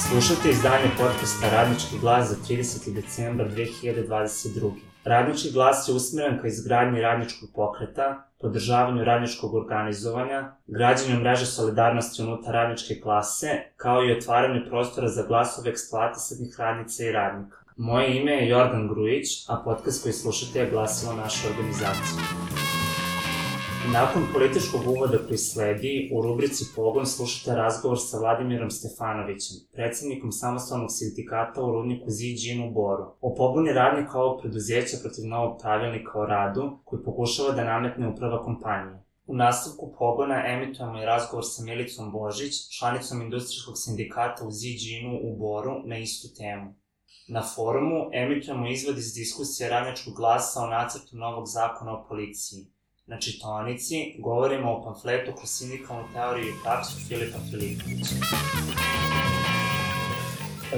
Slušajte izdanje podcasta Radnički glas za 30. decembar 2022. Radnički glas je usmjeren ka izgradnji radničkog pokreta, podržavanju radničkog organizovanja, građenju mreže solidarnosti unutar radničke klase, kao i otvaranju prostora za glasove eksploatisanih radnica i radnika. Moje ime je Jordan Grujić, a podcast koji slušate je glasilo naše organizacije. Nakon političkog uvoda koji sledi, u rubrici Pogon slušate razgovor sa Vladimirom Stefanovićem, predsjednikom samostalnog sindikata u rudniku Ziđin u Boru, o pobuni radnika ovog preduzeća protiv novog pravilnika o radu koji pokušava da nametne uprava kompanije. U nastavku Pogona emitujemo i razgovor sa Milicom Božić, članicom industrijskog sindikata u Ziđinu u Boru, na istu temu. Na forumu emitujemo izvod iz diskusije Radničkog glasa o nacrtu novog zakona o policiji. Na čitaonici govorimo o pamfletu kroz sindikalnu teoriju i praksu Filipa Filipovića.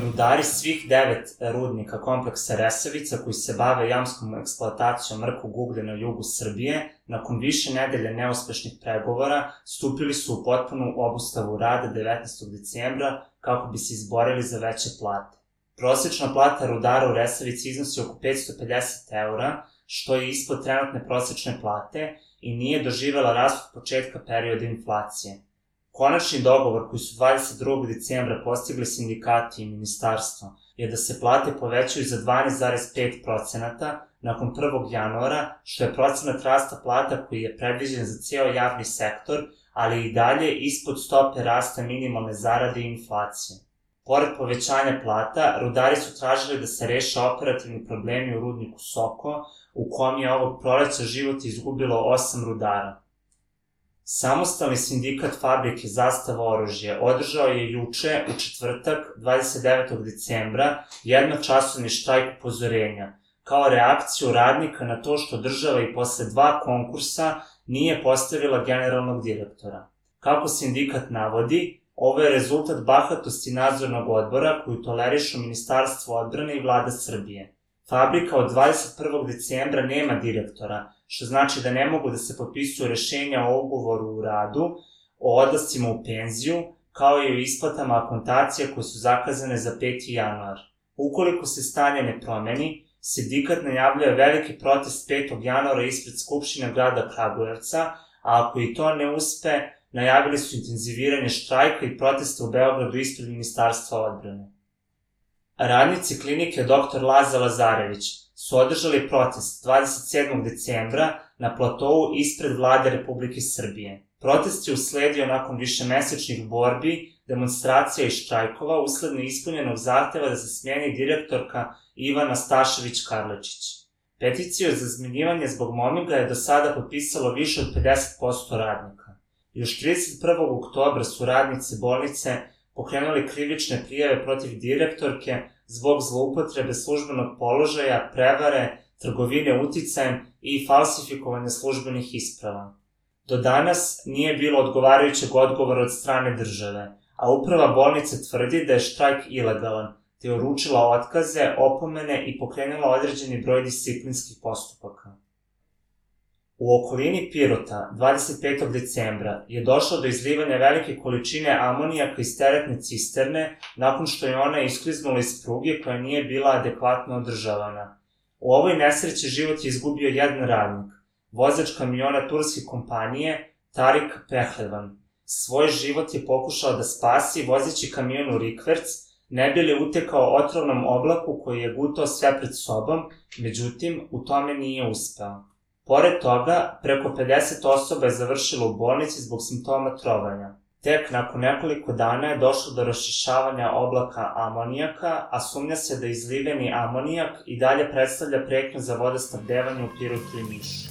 Rudari svih 9 rudnika kompleksa Resavica koji se bave jamskom eksploatacijom mrkog uglja na jugu Srbije, nakon više nedelje neuspešnih pregovora, stupili su u potpunu obustavu rada 19. decembra kako bi se izborili za veće plate. Prosečna plata rudara u Resavici iznosi oko 550 eura, što je ispod trenutne prosečne plate i nije doživela rast od početka perioda inflacije. Konačni dogovor koji su 22. decembra postigli sindikati i ministarstvo je da se plate povećaju za 12,5% nakon 1. januara, što je procenat rasta plata koji je predviđen za ceo javni sektor, ali i dalje ispod stope rasta minimalne zarade i inflacije. Pored povećanja plata, rudari su tražili da se reše operativni problemi u rudniku Soko, u kom je ovog proleća život izgubilo 8 rudara. Samostalni sindikat fabrike Zastava oružje održao je juče, u četvrtak, 29. decembra, jednočasovni štrajk upozorenja, kao reakciju radnika na to što država i posle 2 konkursa nije postavila generalnog direktora. Kako sindikat navodi, ovo je rezultat bahatosti nadzornog odbora koju tolerišu Ministarstvo odbrane i Vlada Srbije. Fabrika od 21. decembra nema direktora, što znači da ne mogu da se potpisuju rešenja o ugovoru u radu, o odlascima u penziju, kao i o isplatama akontacija koje su zakazane za 5. januar. Ukoliko se stanje ne promeni, sindikat najavljuje veliki protest 5. januara ispred Skupštine grada Kragujevca, a ako i to ne uspe, najavili su intenziviranje štrajka i protesta u Beogradu ispred Ministarstva odbrane. Radnici klinike Dr. Laza Lazarević su održali protest 27. decembra na platovu ispred Vlade Republike Srbije. Protest je usledio nakon višemesečnih borbi, demonstracija i štrajkova usled neispunjenog zahteva da se smijeni direktorka Ivana Stašević-Karlečić. Peticiju za zmenjivanje zbog mobinga je do sada potpisalo više od 50% radnika. Još 31. oktobra su radnici bolnice pokrenuli krivične prijave protiv direktorke zbog zloupotrebe službenog položaja, prevare, trgovine uticajem i falsifikovanja službenih isprava. Do danas nije bilo odgovarajućeg odgovora od strane države, a uprava bolnice tvrdi da je štrajk ilegalan, te je uručila otkaze, opomene i pokrenula određeni broj disciplinskih postupaka. U okolini Pirota, 25. decembra, je došlo do izlivanja velike količine amonijaka iz teretne cisterne nakon što je ona iskliznula iz pruge koja nije bila adekvatno održavana. U ovoj nesreći život je izgubio jedan radnik, vozač kamiona turske kompanije Tarik Pehlevan. Svoj život je pokušao da spasi vozeći kamion u rikverc, ne bi li utekao otrovnom oblaku koji je gutao sve pred sobom, međutim, u tome nije uspeo. Pored toga, preko 50 osoba je završilo u bolnici zbog simptoma trovanja. Tek nakon nekoliko dana je došlo do raščišćavanja oblaka amonijaka, a sumnja se da izliveni amonijak i dalje predstavlja pretnju za vodosnabdevanje u Pirotu i Nišu.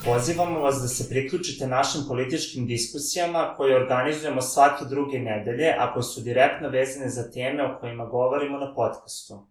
Pozivamo vas da se priključite našim političkim diskusijama koje organizujemo svake druge nedelje, a koje su direktno vezane za teme o kojima govorimo na podcastu.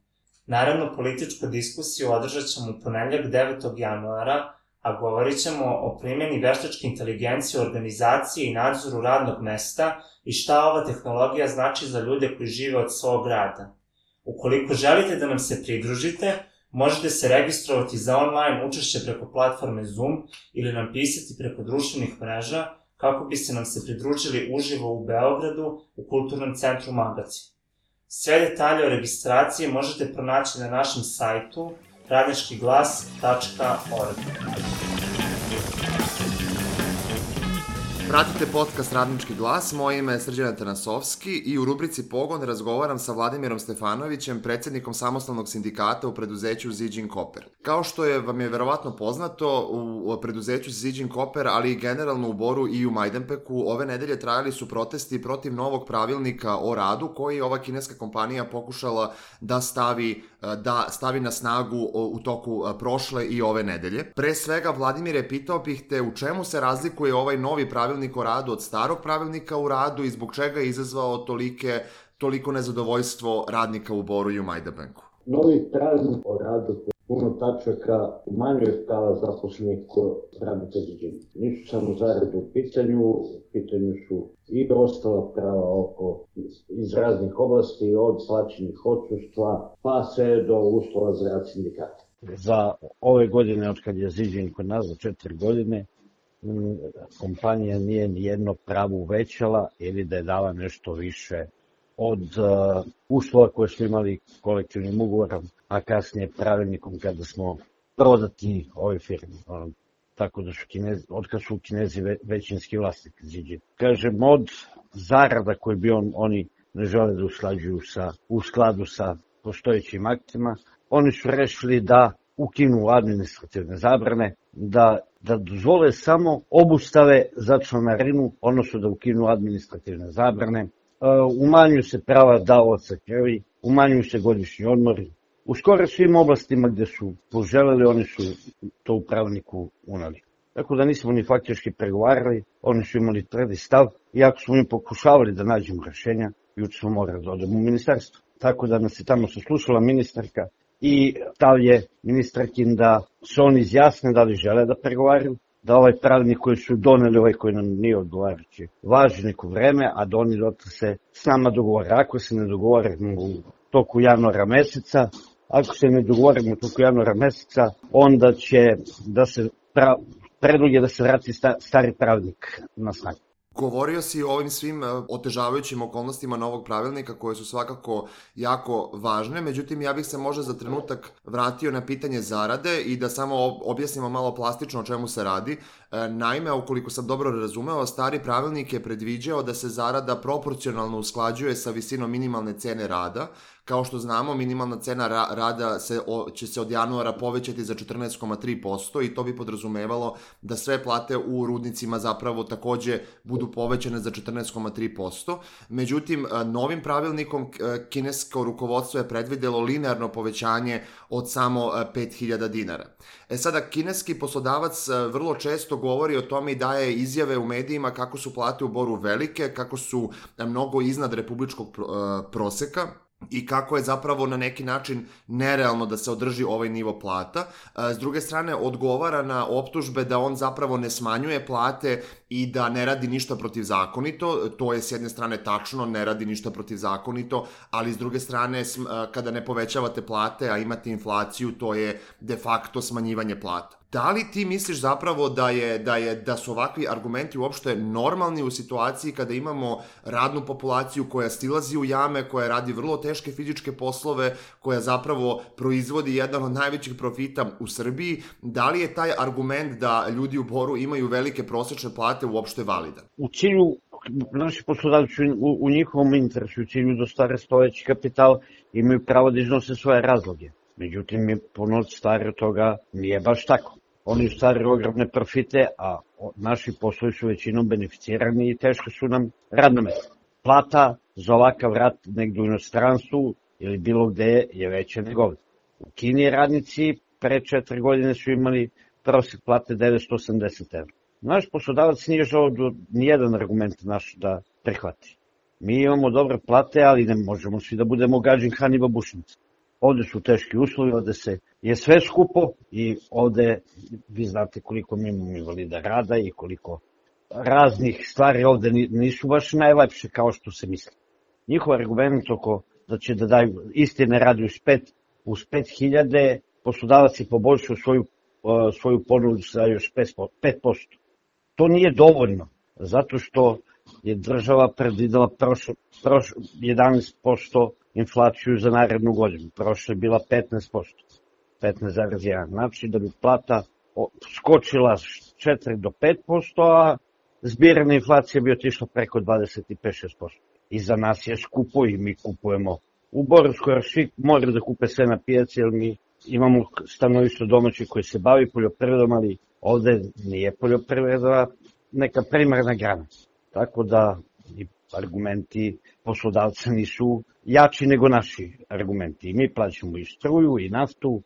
Naravno, političku diskusiju održat ćemo u ponedeljak 9. januara, a govorit ćemo o primjeni veštačke inteligencije u organizaciji i nadzoru radnog mesta i šta ova tehnologija znači za ljude koji žive od svog rada. Ukoliko želite da nam se pridružite, možete se registrovati za online učešće preko platforme Zoom ili nam pisati preko društvenih mreža kako biste nam se pridružili uživo u Beogradu u Kulturnom centru Magacin. Sve detalje o registraciji možete pronaći na našem sajtu radničkiglas.org. Pratite podcast Radnički glas, moje ime je Srđan Tanasovski i u rubrici Pogon razgovaram sa Vladimirom Stefanovićem, predsjednikom samostalnog sindikata u preduzeću Ziđin Koper. Kao što vam je verovatno poznato, u preduzeću Ziđin Koper, ali i generalno u Boru i u Majdanpeku, ove nedelje trajali su protesti protiv novog pravilnika o radu koji je ova kineska kompanija pokušala da stavi na snagu u toku prošle i ove nedelje. Pre svega, Vladimire, pitao bih te u čemu se razlikuje ovaj novi pravilnik o radu od starog pravilnika o radu i zbog čega je izazvao toliko nezadovoljstvo radnika u Boru i u Majdanpeku? Novi pravilnik o radu puno tačaka umanjuje prava zaposlenih kod radnika Ziđina. Nisu samo zarade u pitanju su i ostala prava iz raznih oblasti, od plaćenih odsustva pa sve do uslova za rad sindikata. Za ove godine, od kad je Ziđin kod nas za 4 godine, kompanija nije nijedno pravo uvećala ili da je dala nešto više od uslova koje smo imali kolektivnim ugovorom, a kasnije pravilnikom kada smo prodati ove firme. Tako da su otkad su Kinezi većinski vlasnik Ziđina. Kažem, od zarada koje bi oni ne žele da u skladu sa postojećim aktima, oni su rešili da ukinu administrativne zabrane, da dozvole samo obustave za članarinu, odnosno da ukinu administrativne zabrane, umanjuju se prava davaoca krvi, umanjuju se godišnji odmori. U skoro svim oblastima gde su poželeli, oni su to u pravilniku unali. Tako da nismo ni faktički pregovarali, oni su imali tvrdi stav, iako smo mi pokušavali da nađemo rešenja, juče smo morali da odemo u ministarstvo. Tako da nas je tamo saslušala ministarka i stav je ministarkin da se oni izjasne da li žele da pregovaraju, da ovaj pravilnik koji su doneli, ovaj koji nam nije odgovarajući, važi neko vreme, a da oni se s nama dogovore. Ako se ne dogovorimo u toku januara meseca, onda će da se predlog je da se vrati stari pravilnik na snagu. Govorio si o ovim svim otežavajućim okolnostima novog pravilnika koje su svakako jako važne, međutim ja bih se možda za trenutak vratio na pitanje zarade i da samo objasnimo malo plastično o čemu se radi. Naime, ukoliko sam dobro razumeo, stari pravilnik je predviđao da se zarada proporcionalno usklađuje sa visinom minimalne cene rada. Kao što znamo, minimalna cena rada će se od januara povećati za 14,3% i to bi podrazumevalo da sve plate u rudnicima zapravo takođe budu povećane za 14,3%. Međutim, novim pravilnikom kinesko rukovodstvo je predvidelo linearno povećanje od samo 5.000 dinara. Sada, kineski poslodavac vrlo često govori o tome i daje izjave u medijima kako su plate u Boru velike, kako su mnogo iznad republičkog proseka i kako je zapravo na neki način nerealno da se održi ovaj nivo plata. S druge strane, odgovara na optužbe da on zapravo ne smanjuje plate i da ne radi ništa protivzakonito. To je s jedne strane tačno, ne radi ništa protivzakonito, ali s druge strane, kada ne povećavate plate, a imate inflaciju, to je de facto smanjivanje plata. Da li ti misliš zapravo da su ovakvi argumenti uopšte normalni u situaciji kada imamo radnu populaciju koja silazi u jame, koja radi vrlo teške fizičke poslove, koja zapravo proizvodi jedan od najvećih profita u Srbiji? Da li je taj argument da ljudi u Boru imaju velike prosečne plate uopšte validan? U cilju, naši poslodavci u njihovom interesu, u cilju da stare stojeći kapital, imaju pravo da iznose svoje razloge. Međutim, je puno stari od toga nije baš tako. Oni stvaraju ogromne profite, a naši poslovi su većinom beneficirani i teško su nam radna mesta. Plata za ovakav rad negdje u inostranstvu ili bilo gde je veća nego ovdje. U Kini radnici pre 4 godine su imali prosjek plate 980 evra. Naš poslodavac nije želeo nijedan argument naš da prihvati. Mi imamo dobre plate, ali ne možemo svi da budemo gađin Han i babušnici. Ovde su teški uslovi, ovde je sve skupo i ovde vi znate koliko mi imamo invalida rada i koliko raznih stvari ovde nisu baš najlepše kao što se misli. Njihov argument oko da će da daju istine radi uz 5.000, poslodavac je poboljšao svoju ponudu sa još 5%. To nije dovoljno. Zato što je država predvidela 11% inflaciju za narednu godinu. Prošle je bila 15%, 15,1%. Znači da bi plata skočila 4 do 5%, a zbirna inflacija bi otišla preko 25-6%. I za nas je skupo i mi kupujemo. U Boru skoro svi moraju da kupe sve na pijaci, jer mi imamo stanovište domaći koji se bavi poljoprivredom, ali ovde nije poljoprivreda neka primarna grana. Tako da i argumenti poslodavca nisu jači nego naši argumenti. I mi plaćamo i struju, i naftu,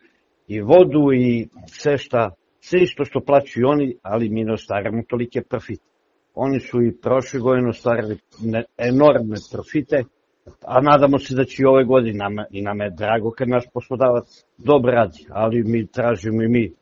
i vodu, i sve isto što plaćaju oni, ali mi ne ostvaramo tolike profite. Oni su i prošle godine ostvarili enormne profite, a nadamo se da će i ove godine. I nam je drago kad naš poslodavac dobro radi, ali mi tražimo i mi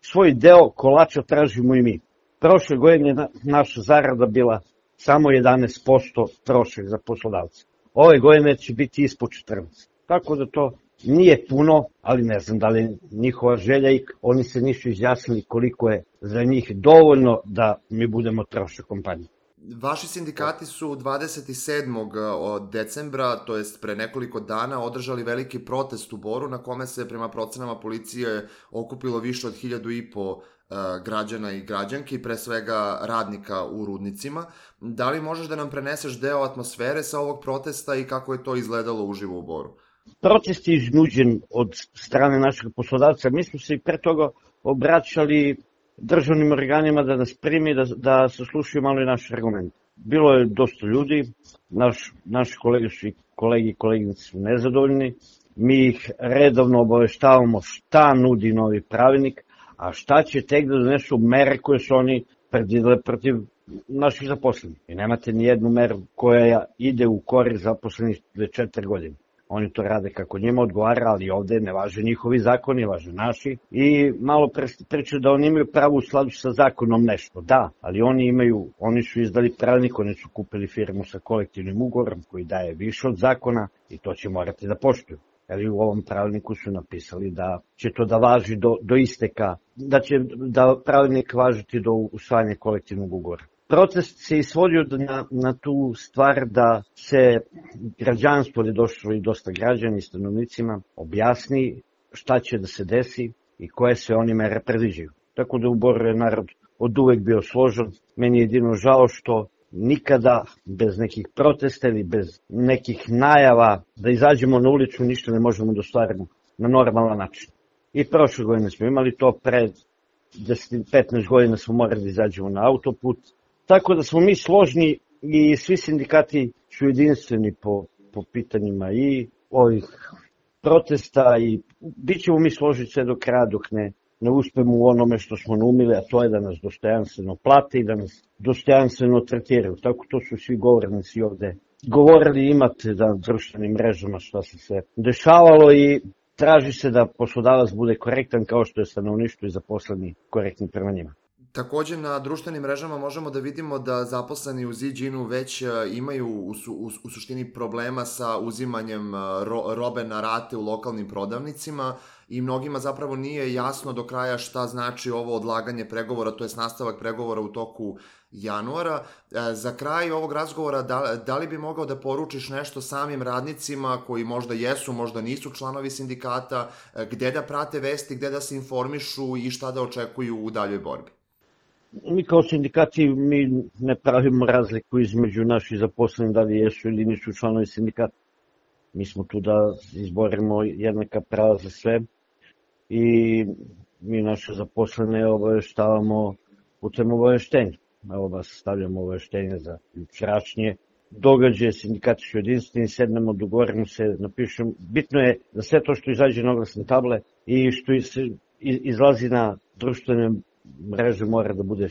svoj deo kolača tražimo i mi. Prošle godine je naša zarada bila samo 11% trošak za poslodavca. Ove godine će biti ispod 14%. Tako da to nije puno, ali ne znam da li je njihova želja i oni se nisu izjasnili koliko je za njih dovoljno da mi budemo trošak kompanije. Vaši sindikati su 27. decembra, to jest pre nekoliko dana, održali veliki protest u Boru na kome se prema procenama policije okupilo više od 1.500 građana i građanki, pre svega radnika u rudnicima. Da li možeš da nam preneseš deo atmosfere sa ovog protesta i kako je to izgledalo uživo u Boru? Protest je iznuđen od strane našeg poslodavca. Mi smo se i pre toga obraćali državnim organima da nas primi, da saslušaju malo i naše argumente. Bilo je dosta ljudi, naši kolege su i kolegi i koleginice su nezadovoljni. Mi ih redovno obaveštavamo šta nudi novi pravilnik, a šta će tek da donesu mere koje su oni predvidele protiv naših zaposlenih. I nemate ni jednu meru koja ide u korist zaposlenih 4 godine. Oni to rade kako njima odgovara, ali ovde ne važe njihovi zakoni, važe naši. I malo pričaju da oni imaju pravo u skladu sa zakonom nešto. Da, ali oni su izdali pravilnik, oni su kupili firmu sa kolektivnim ugovorom koji daje više od zakona i to će morati da poštuju. Ali u ovom pravilniku su napisali da će to da važi do isteka, da će da pravilnik važiti do usvajanja kolektivnog ugovora. Protest se isvodio na tu stvar da se građanstvo, je došlo i dosta građana i stanovnicima, objasni šta će da se desi i koje sve oni mere predviđaju. Tako da u Boru je narod od uvek bio složan. Meni je jedino žao što nikada bez nekih protesta ili bez nekih najava da izađemo na ulicu ništa ne možemo da ostvarimo na normalan način. I prošle godine smo imali to, pred 10-15 godina smo morali da izađemo na autoput. Tako da smo mi složni i svi sindikati su jedinstveni po pitanjima i ovih protesta i bit ćemo mi složiti sve do kraja dok ne uspemo u onome što smo naumili, a to je da nas dostojanstveno plate i da nas dostojanstveno tretiraju. Tako to su svi govornici ovde govorili, imate na društvenim mrežama šta se sve dešavalo i traži se da poslodavac bude korektan kao što je stanovništvo i zaposleni korektni prema njima. Takođe, na društvenim mrežama možemo da vidimo da zaposleni u Ziđinu već imaju u suštini problema sa uzimanjem robe na rate u lokalnim prodavnicima i mnogima zapravo nije jasno do kraja šta znači ovo odlaganje pregovora, to je nastavak pregovora u toku januara. Za kraj ovog razgovora, da li bi mogao da poručiš nešto samim radnicima koji možda jesu, možda nisu članovi sindikata, gde da prate vesti, gde da se informišu i šta da očekuju u daljoj borbi? Mi kao sindikati mi ne pravimo razliku između naših zaposlenih da li jesu ili nisu članovi sindikata. Mi smo tu da izborimo jednaka prava za sve i mi naše zaposlene obaveštavamo putem obaveštenja. Evo vas stavljamo obaveštenje za jučerašnje događaje, sindikati su jedinstveni, sednemo, dogovorimo se, napišemo. Bitno je da sve to što izađe na oglasne table i što izlazi na društvene mreže mora da bude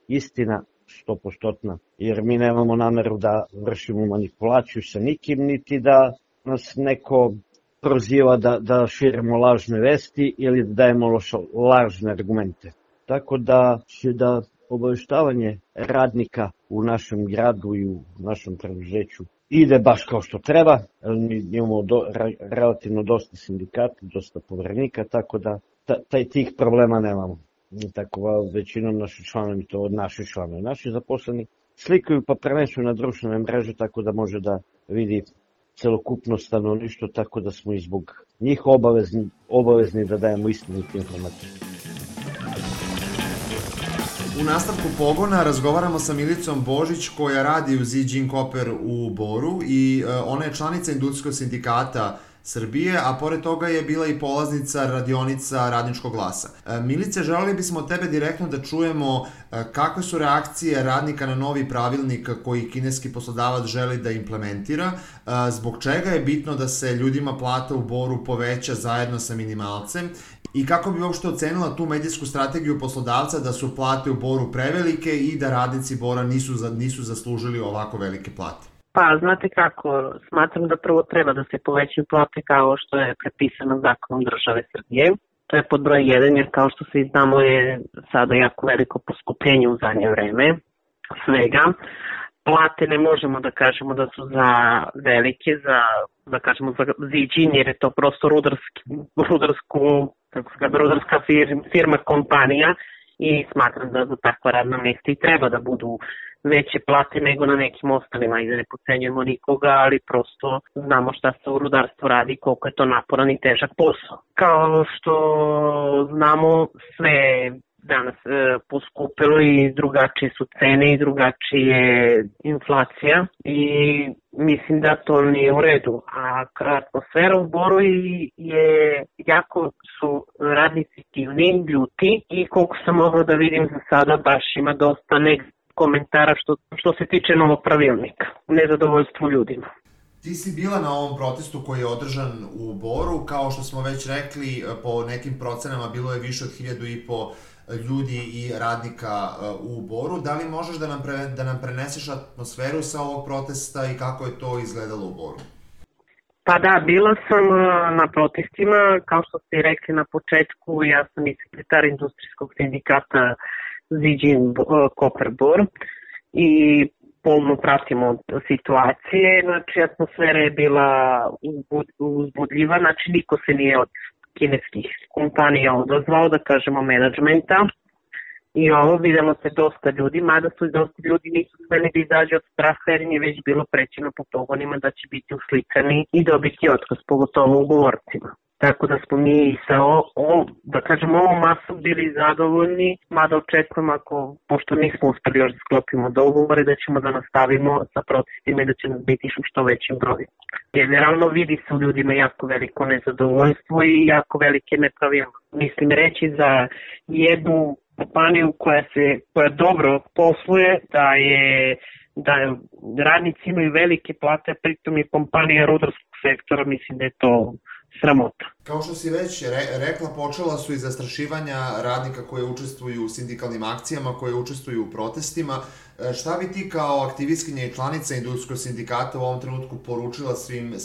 istina 100%, jer mi nemamo nameru da vršimo manipulaciju sa nikim, niti da nas neko proziva da širimo lažne vesti ili da dajemo lažne argumente. Tako da će da obaveštavanje radnika u našem gradu i u našem preduzeću ide baš kao što treba. Mi imamo relativno dosta sindikata, dosta poverenika, tako da tih problema nemamo. tako većinom naši članovi, naši zaposleni slikaju pa prenesu na društvene mreže tako da može da vidi celokupno stanovništvo, tako da smo i zbog njih obavezni da dajemo istinite informacije. U nastavku pogona razgovaramo sa Milicom Božić koja radi u Ziđin Koper u Boru i ona je članica Industrijskog sindikata Srbije, a pored toga je bila i polaznica radionica Radničkog glasa. Milice, želeli bismo od tebe direktno da čujemo kakve su reakcije radnika na novi pravilnik koji kineski poslodavac želi da implementira, zbog čega je bitno da se ljudima plata u Boru poveća zajedno sa minimalcem i kako bi uopšte ocenila tu medijsku strategiju poslodavca da su plate u Boru prevelike i da radnici Bora nisu zaslužili ovako velike plate. Pa, znate kako, smatram da prvo treba da se povećaju plate kao što je prepisano zakonom države Srbije. To je pod broj 1, jer kao što svi znamo je sada jako veliko poskupljenje u zadnje vreme svega. Plate ne možemo da kažemo da su za velike, za Ziđin, jer je to prosto rudarska firma, kompanija i smatram da za takva radna mesta i treba da budu veće plate nego na nekim ostalima i da ne podcenjujemo nikoga, ali prosto znamo šta se u rudarstvu radi, koliko je to naporan i težak posao. Kao što znamo, sve danas poskupilo i drugačije su cene i drugačije inflacija i mislim da to nije u redu. A atmosfera u Boru je jako su radnici aktivni, ljuti i koliko sam mogla da vidim za sada baš ima dosta komentara što se tiče novog pravilnika, nezadovoljstvo ljudima. Ti si bila na ovom protestu koji je održan u Boru, kao što smo već rekli, po nekim procenama bilo je više od 1.500 ljudi i radnika u Boru. Da li možeš da nam preneseš atmosferu sa ovog protesta i kako je to izgledalo u Boru? Pa da, bila sam na protestima, kao što ste rekli na početku, ja sam i sekretar Industrijskog sindikata Ziđin Koper Bor i pomno pratimo situacije, znači atmosfera je bila uzbudljiva, znači niko se nije od kineskih kompanija odazvao, da kažemo menadžmenta i ovo videlo se dosta ljudi, mada su i dosta ljudi nisu smeli da izađe od straha jer im je već bilo prećeno po pogonima da će biti uslikani i dobiti otkaz, pogotovo ugovorcima. Tako da smo mi sa ovom masom bili zadovoljni, mada očekujemo pošto nismo uspeli još da sklopimo dogovore, da ćemo da nastavimo sa protestima i da će nas biti što većim brojem. Generalno vidi se u ljudima jako veliko nezadovoljstvo i jako velike nepravilnosti. Mislim reći za jednu kompaniju koja dobro posluje, da radnici imaju velike plate, pritom je kompanija rudarskog sektora, mislim da je to sramota. Kao što si već rekla, počela su i zastrašivanja radnika koji učestvuju u sindikalnim akcijama, koji učestvuju u protestima. Šta bi ti kao aktivistkinja i članica Industrijskog sindikata u ovom trenutku poručila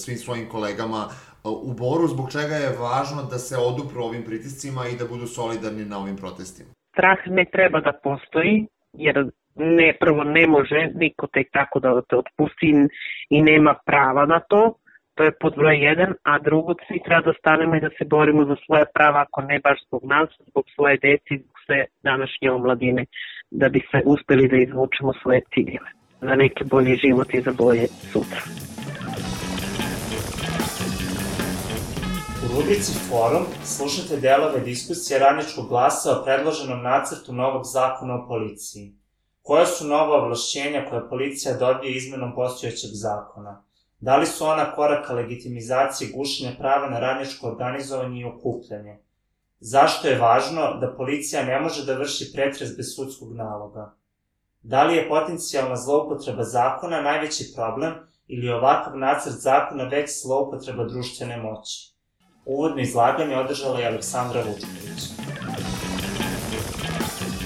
svim svojim kolegama u Boru, zbog čega je važno da se odupru ovim pritiscima i da budu solidarni na ovim protestima? Strah ne treba da postoji, jer prvo ne može niko tek tako da te otpusti i nema prava na to. To je pod broj 1, a drugo, svi treba da stanemo i da se borimo za svoje prava, ako ne baš zbog nas, zbog svoje deci, zbog sve današnje omladine, da bi se uspeli da izvučemo svoje ciljeve, za neki bolji život i za bolje sutra. U rubrici Forum slušate delove diskusije Radničkog glasa o predloženom nacrtu novog zakona o policiji. Koja su nova ovlašćenja koje policija dobije izmenom postojećeg zakona? Da li su ona korak ka legitimizaciji gušenja prava na radničko organizovanje i okupljanje? Zašto je važno da policija ne može da vrši pretres bez sudskog naloga? Da li je potencijalna zloupotreba zakona najveći problem ili ovakav nacrt zakona već zloupotreba društvene moći? Uvodno izlaganje održala je Aleksandra Vučković.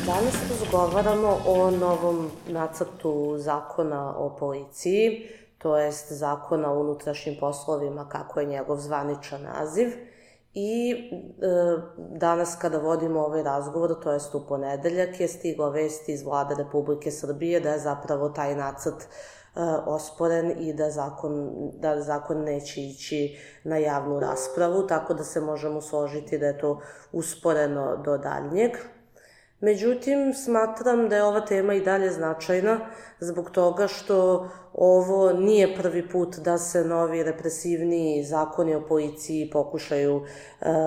Danas razgovaramo o novom nacrtu zakona o policiji, to jest zakona o unutrašnjim poslovima, kako je njegov zvaničan naziv. I danas kada vodimo ovaj razgovor, to jest u ponedeljak, je stigla vest iz Vlade Republike Srbije da je zapravo taj nacrt osporen i da zakon neće ići na javnu raspravu, tako da se možemo složiti da je to usporeno do daljnjeg. Međutim, smatram da je ova tema i dalje značajna zbog toga što ovo nije prvi put da se novi represivniji zakoni o policiji pokušaju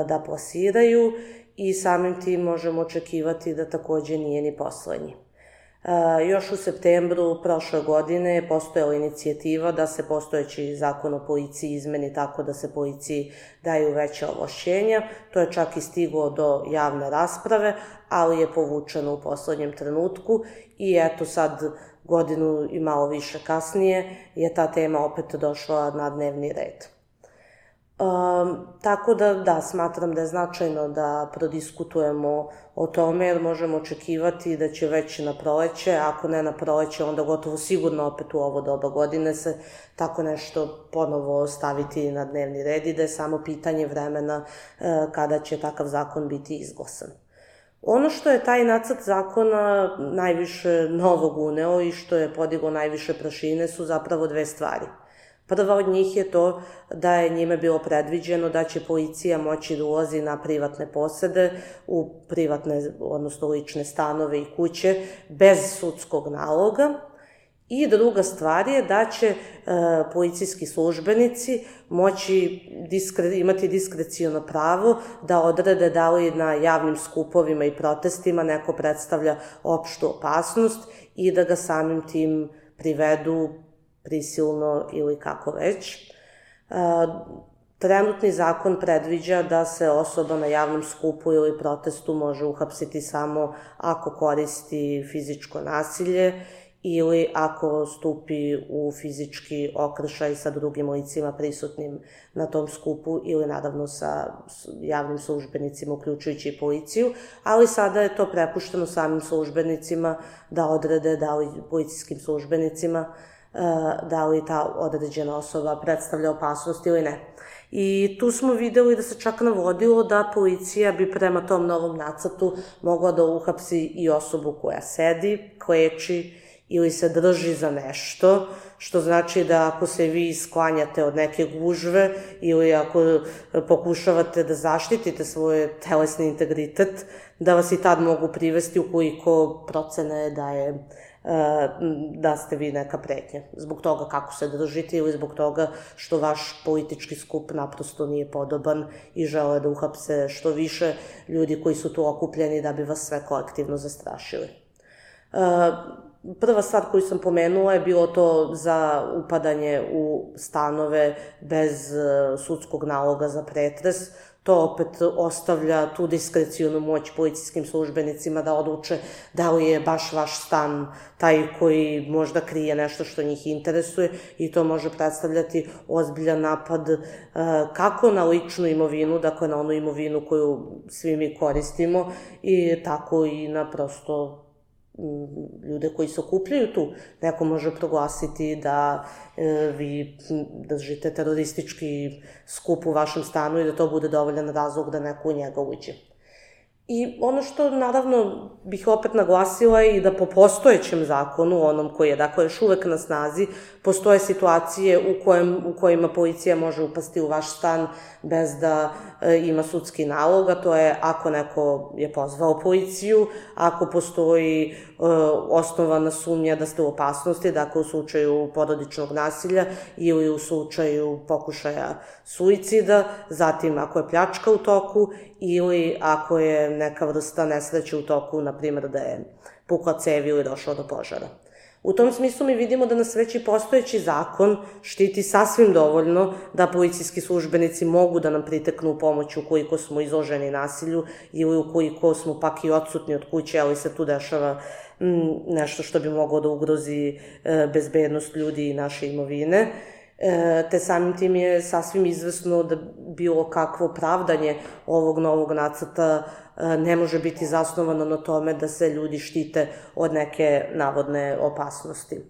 da plasiraju i samim tim možemo očekivati da takođe nije ni poslednji. Još u septembru prošle godine je postojala inicijativa da se postojeći zakon o policiji izmeni tako da se policiji daju veća ovlašćenja. To je čak i stiglo do javne rasprave, ali je povučeno u poslednjem trenutku i eto sad godinu i malo više kasnije je ta tema opet došla na dnevni red. Tako da, smatram da je značajno da prodiskutujemo o tome, jer možemo očekivati da će već na proleće, ako ne na proleće, onda gotovo sigurno opet u ovo doba godine se tako nešto ponovo staviti na dnevni red i da je samo pitanje vremena kada će takav zakon biti izglasan. Ono što je taj nacrt zakona najviše novog uneo i što je podiglo najviše prašine su zapravo dve stvari. Prva od njih je to da je njime bilo predviđeno da će policija moći da ulazi na privatne posede, u privatne, odnosno lične stanove i kuće, bez sudskog naloga. I druga stvar je da će policijski službenici moći imati diskrecijono pravo da odrede da li na javnim skupovima i protestima neko predstavlja opštu opasnost i da ga samim tim privedu prisilno ili kako već. Trenutni zakon predviđa da se osoba na javnom skupu ili protestu može uhapsiti samo ako koristi fizičko nasilje ili ako stupi u fizički okršaj sa drugim licima prisutnim na tom skupu ili naravno sa javnim službenicima, uključujući i policiju, ali sada je to prepušteno samim službenicima da odrede, da li policijskim službenicima, da li ta određena osoba predstavlja opasnost ili ne. I tu smo videli da se čak navodilo da policija bi prema tom novom nacrtu mogla da uhapsi i osobu koja sedi, kleči ili se drži za nešto, što znači da ako se vi sklanjate od neke gužve ili ako pokušavate da zaštitite svoj telesni integritet, da vas i tad mogu privesti ukoliko procene da ste vi neka pretnja. Zbog toga kako se držite ili zbog toga što vaš politički skup naprosto nije podoban i žele da uhapse što više ljudi koji su tu okupljeni da bi vas sve kolektivno zastrašili. Prva stvar koju sam pomenula je bilo to za upadanje u stanove bez sudskog naloga za pretres. To opet ostavlja tu diskrecijonu moć policijskim službenicima da odluče da li je baš vaš stan taj koji možda krije nešto što njih interesuje i to može predstavljati ozbiljan napad kako na ličnu imovinu, dakle na onu imovinu koju svi mi koristimo i tako i na prosto ljude koji se okupljaju tu. Neko može proglasiti da vi držite teroristički skup u vašem stanu i da to bude dovoljan razlog da neko u njega uđe. I ono što naravno bih opet naglasila je i da po postojećem zakonu, onom koji je dakle još uvek na snazi, postoje situacije u kojima policija može upasti u vaš stan bez da ima sudski nalog, a to je ako neko je pozvao policiju, ako postoji osnovana sumnja da ste u opasnosti, dakle u slučaju porodičnog nasilja ili u slučaju pokušaja suicida, zatim ako je pljačka u toku ili ako je neka vrsta nesreće u toku, na primjer da je pukla cev ili došlo do požara. U tom smislu mi vidimo da nas već i postojeći zakon štiti sasvim dovoljno da policijski službenici mogu da nam priteknu u pomoć ukoliko smo izloženi nasilju ili ukoliko smo pak i odsutni od kuće, ali se tu dešava nešto što bi moglo da ugrozi bezbednost ljudi i naše imovine. Te samim tim je sasvim izvesno da bilo kakvo pravdanje ovog novog nacrta ne može biti zasnovano na tome da se ljudi štite od neke navodne opasnosti.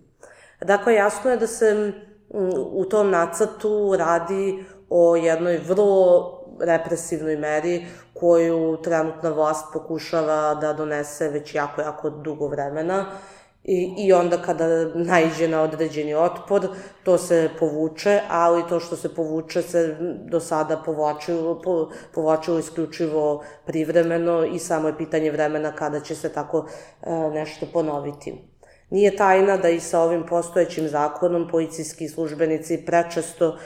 Dakle, jasno je da se u tom nacrtu radi o jednoj vrlo represivnoj meri koju trenutna vlast pokušava da donese već jako dugo vremena I onda kada naiđe na određeni otpor, to se povuče, ali to što se povuče se do sada povlačilo isključivo privremeno i samo je pitanje vremena kada će se tako nešto ponoviti. Nije tajna da i sa ovim postojećim zakonom policijski službenici prečesto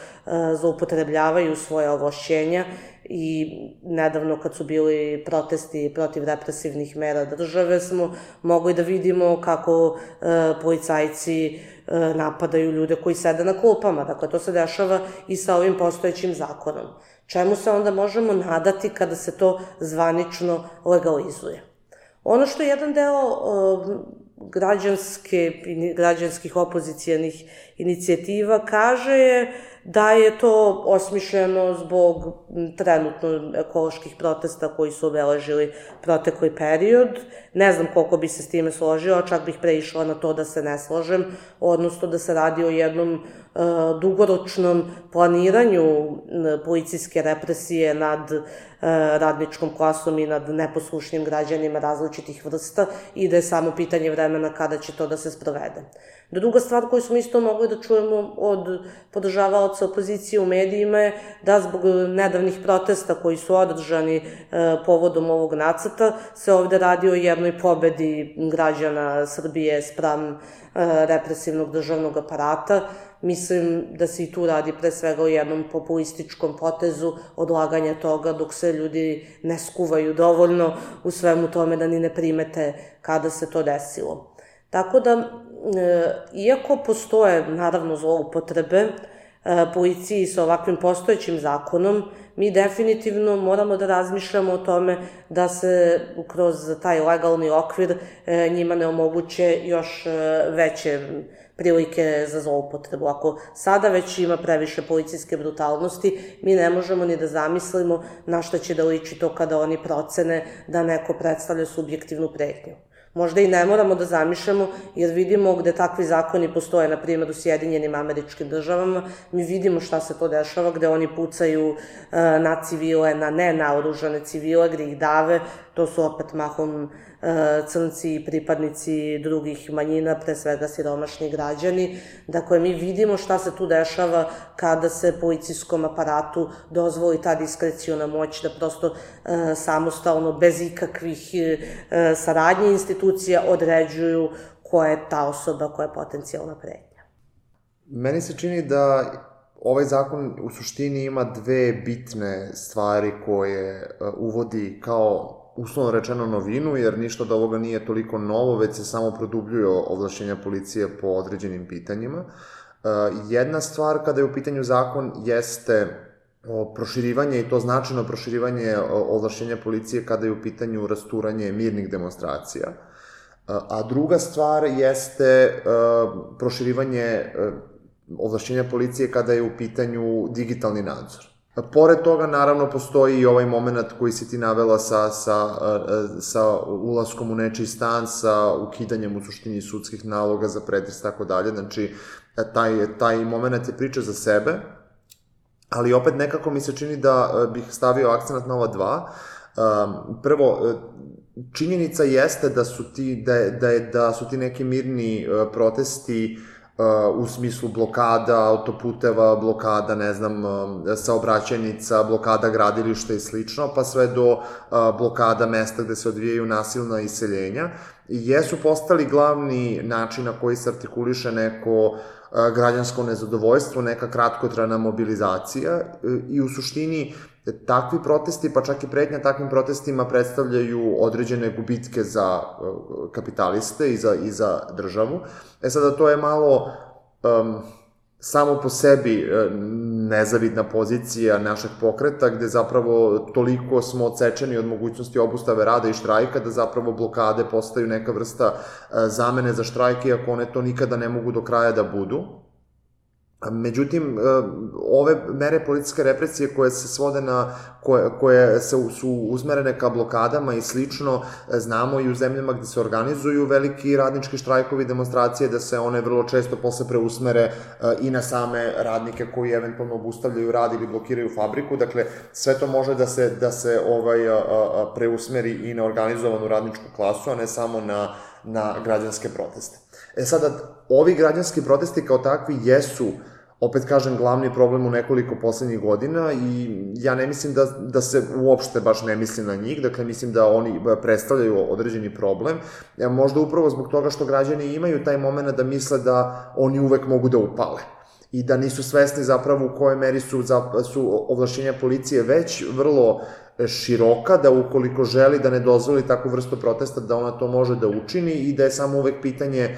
zloupotrebljavaju svoje ovlašćenja i nedavno kad su bili protesti protiv represivnih mera države smo mogli da vidimo kako policajci napadaju ljude koji sede na klupama. Dakle, to se dešava i sa ovim postojećim zakonom. Čemu se onda možemo nadati kada se to zvanično legalizuje? Ono što je jedan deo građanskih opozicijanih inicijativa kaže je da je to osmišljeno zbog trenutno ekoloških protesta koji su obeležili protekli period. Ne znam koliko bi se s time složila, čak bih preišla na to da se ne slažem, odnosno da se radi o jednom dugoročnom planiranju policijske represije nad radničkom klasom i nad neposlušnim građanima različitih vrsta i da je samo pitanje vremena kada će to da se sprovede. Druga stvar koju smo isto mogli da čujemo od podržavaoca opozicije u medijima je da zbog nedavnih protesta koji su održani povodom ovog nacrta se ovde radi o jednoj pobedi građana Srbije spram represivnog državnog aparata. Mislim da se i tu radi pre svega o jednom populističkom potezu odlaganja toga dok se ljudi ne skuvaju dovoljno u svemu tome da ni ne primete kada se to desilo. Tako da, iako postoje, naravno, zloupotrebe policiji sa ovakvim postojećim zakonom, mi definitivno moramo da razmišljamo o tome da se kroz taj legalni okvir njima ne omoguće još veće prilike za zloupotrebu. Ako sada već ima previše policijske brutalnosti, mi ne možemo ni da zamislimo na šta će da liči to kada oni procene da neko predstavlja subjektivnu pretnju. Možda i ne moramo da zamišljamo, jer vidimo gde takvi zakoni postoje, na primjer u Sjedinjenim Američkim Državama, mi vidimo šta se to dešava, gde oni pucaju na civile, na nenaoružane civile, gde ih dave, to su opet mahom crnci i pripadnici drugih manjina, pre svega siromašni građani. Dakle, mi vidimo šta se tu dešava kada se policijskom aparatu dozvoli ta diskreciona moć da prosto samostalno, bez ikakvih saradnje institucija, određuju koja je ta osoba koja je potencijalna pretnja. Meni se čini da ovaj zakon u suštini ima dve bitne stvari koje uvodi kao uslovno rečeno novinu, jer ništa od ovoga nije toliko novo, već se samo produbljuju ovlašćenja policije po određenim pitanjima. Jedna stvar kada je u pitanju zakon jeste proširivanje, i to značajno proširivanje ovlašćenja policije kada je u pitanju rasturanje mirnih demonstracija. A druga stvar jeste proširivanje ovlašćenja policije kada je u pitanju digitalni nadzor. Pored toga, naravno, postoji i ovaj moment koji si ti navela sa ulaskom u nečiji stan, sa ukidanjem u suštini sudskih naloga za pretres, tako dalje. Znači, taj moment je priča za sebe, ali opet nekako mi se čini da bih stavio akcenat na ova dva. Prvo, činjenica jeste da su ti neki mirni protesti u smislu blokada autoputeva, blokada, ne znam, saobraćajnica, blokada gradilišta i slično, pa sve do blokada mesta gde se odvijaju nasilna iseljenja, jesu postali glavni način na koji se artikuliše neko građansko nezadovoljstvo, neka kratkotrajna mobilizacija i u suštini takvi protesti, pa čak i pretnja takvim protestima predstavljaju određene gubitke za kapitaliste i za državu. Sada to je malo samo po sebi nezavidna pozicija našeg pokreta, gde zapravo toliko smo odsečeni od mogućnosti obustave rada i štrajka, da zapravo blokade postaju neka vrsta zamene za štrajk, iako one to nikada ne mogu do kraja da budu. Međutim, ove mere policijske represije koje se svode koje su uzmerene ka blokadama i slično, znamo i u zemljama gde se organizuju veliki radnički štrajkovi, demonstracije, da se one vrlo često posle preusmere i na same radnike koji eventualno obustavljaju rad ili blokiraju fabriku. Dakle, sve to može da se preusmeri i na organizovanu radničku klasu, a ne samo na građanske proteste. Sada, ovi građanski protesti kao takvi jesu, opet kažem, glavni problem u nekoliko poslednjih godina i ja ne mislim da se uopšte baš ne misli na njih, dakle mislim da oni predstavljaju određeni problem, možda upravo zbog toga što građani imaju taj moment da misle da oni uvek mogu da upale i da nisu svesni zapravo u kojoj meri su ovlašćenja policije već vrlo široka, da ukoliko želi da ne dozvoli takvu vrstu protesta, da ona to može da učini i da je samo uvek pitanje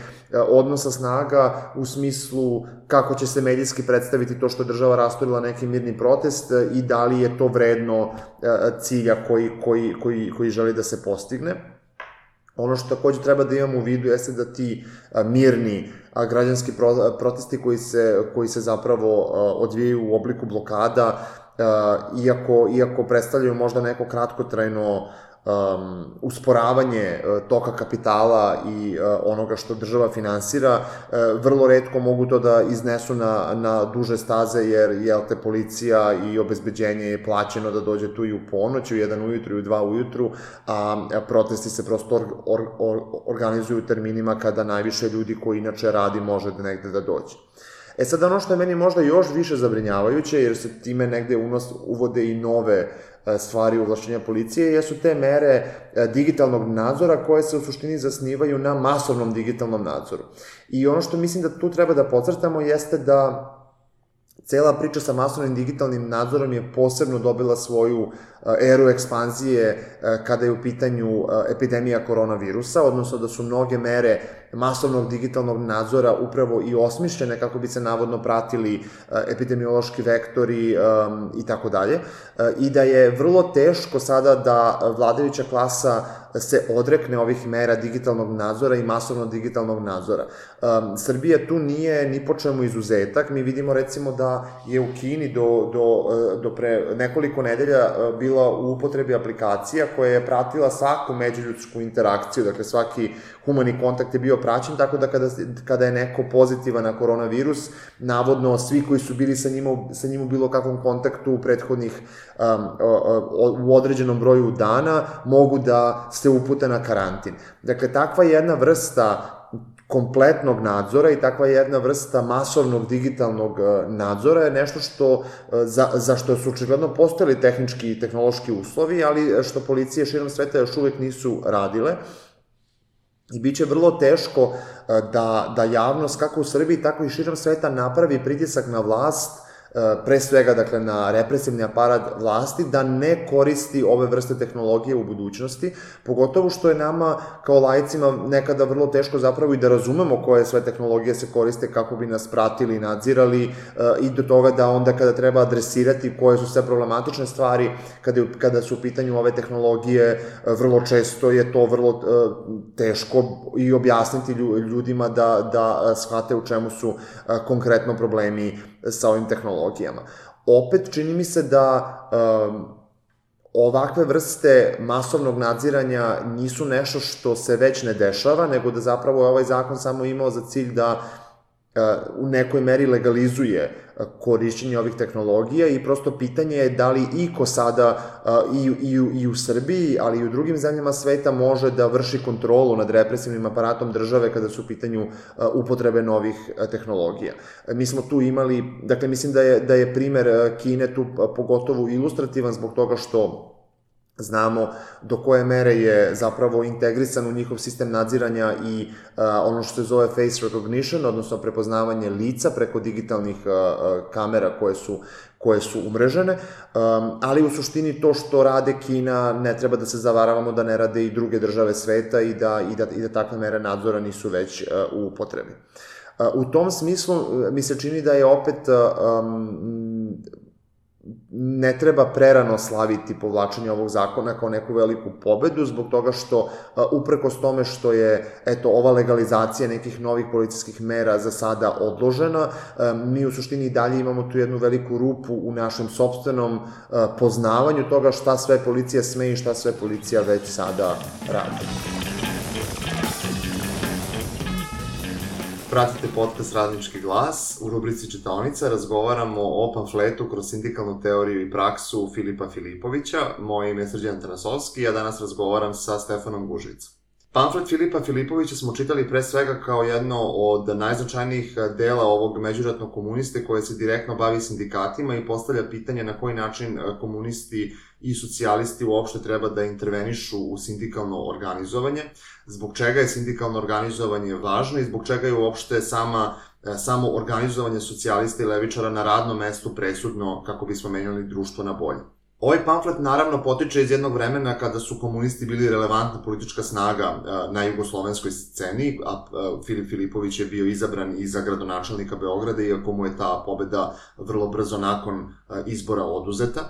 odnosa snaga u smislu kako će se medijski predstaviti to što je država rasturila neki mirni protest i da li je to vredno cilja koji želi da se postigne. Ono što takođe treba da imamo u vidu jeste da ti mirni građanski protesti koji se zapravo odvijaju u obliku blokada, iako predstavljaju možda neko kratkotrajno usporavanje toka kapitala i onoga što država finansira, vrlo retko mogu to da iznesu na duže staze, jer te policija i obezbeđenje je plaćeno da dođe tu i u ponoć, u 1 ujutru i u 2 ujutru, a protesti se prosto organizuju u terminima kada najviše ljudi koji inače radi može negde da dođe. Sad, ono što je meni možda još više zabrinjavajuće, jer se time negde uvode i nove stvari u ovlašćenja policije, jesu te mere digitalnog nadzora koje se u suštini zasnivaju na masovnom digitalnom nadzoru. I ono što mislim da tu treba da podcrtamo jeste da cela priča sa masovnim digitalnim nadzorom je posebno dobila svoju eru ekspanzije kada je u pitanju epidemija koronavirusa, odnosno da su mnoge mere masovnog digitalnog nadzora upravo i osmišljene kako bi se navodno pratili epidemiološki vektori i tako dalje, i da je vrlo teško sada da vladajuća klasa se odrekne ovih mera digitalnog nadzora i masovnog digitalnog nadzora. Srbija tu nije ni po čemu izuzetak. Mi vidimo recimo da je u Kini do pre nekoliko nedelja bila u upotrebi aplikacija koja je pratila svaku međuljudsku interakciju, dakle svaki humani kontakt je bio praćen, tako da kada je neko pozitivan na koronavirus, navodno svi koji su bili sa njim u bilo kakvom kontaktu u prethodnih u određenom broju dana mogu da se upute na karantin. Dakle, takva jedna vrsta kompletnog nadzora i takva jedna vrsta masovnog digitalnog nadzora je nešto za što su očigledno postojali tehnički i tehnološki uslovi, ali što policije širom sveta još uvek nisu radile. I bit će vrlo teško da javnost, kako u Srbiji, tako i širom sveta, napravi pritisak na vlast, pre svega, dakle, na represivni aparat vlasti, da ne koristi ove vrste tehnologije u budućnosti, pogotovo što je nama, kao laicima, nekada vrlo teško zapravo i da razumemo koje sve tehnologije se koriste kako bi nas pratili i nadzirali, i do toga da onda kada treba adresirati koje su sve problematične stvari, kada su u pitanju ove tehnologije, vrlo često je to vrlo teško i objasniti ljudima da shvate u čemu su konkretno problemi sa ovim tehnologijama. Opet, čini mi se da ovakve vrste masovnog nadziranja nisu nešto što se već ne dešava, nego da zapravo je ovaj zakon samo imao za cilj da u nekoj meri legalizuje korišćenje ovih tehnologija i prosto pitanje je da li iko sada i u Srbiji, ali i u drugim zemljama sveta može da vrši kontrolu nad represivnim aparatom države kada su u pitanju upotrebe novih tehnologija. Mi smo tu imali, dakle mislim da je primer Kine tu pogotovo ilustrativan zbog toga što znamo do koje mere je zapravo integrisan u njihov sistem nadziranja i ono što se zove face recognition, odnosno prepoznavanje lica preko digitalnih kamera koje su umrežene, ali u suštini to što rade Kina ne treba da se zavaravamo da ne rade i druge države sveta i da takve mere nadzora nisu već u upotrebi. U tom smislu mi se čini da je opet ne treba prerano slaviti povlačenje ovog zakona kao neku veliku pobedu, zbog toga što, uprkos tome što je, ova legalizacija nekih novih policijskih mera za sada odložena, mi u suštini i dalje imamo tu jednu veliku rupu u našem sopstvenom poznavanju toga šta sve policija sme i šta sve policija već sada radi. Pratite podcast Radnički glas. U rubrici Čitaonica razgovaramo o pamfletu kroz sindikalnu teoriju i praksu Filipa Filipovića. Moje ime je Srđan Tarasovski, a danas razgovaram sa Stefanom Gužvicom. Pamflet Filipa Filipovića smo čitali pre svega kao jedno od najznačajnijih dela ovog međuratnog komuniste koje se direktno bavi sindikatima i postavlja pitanje na koji način komunisti i socijalisti uopšte treba da intervenišu u sindikalno organizovanje, zbog čega je sindikalno organizovanje važno i zbog čega je uopšte samo organizovanje socijalista i levičara na radnom mestu presudno kako bismo menjali društvo na bolje. Ovaj pamflet naravno potiče iz jednog vremena kada su komunisti bili relevantna politička snaga na jugoslovenskoj sceni, a Filip Filipović je bio izabran i za gradonačelnika Beograda, iako mu je ta pobeda vrlo brzo nakon izbora oduzeta.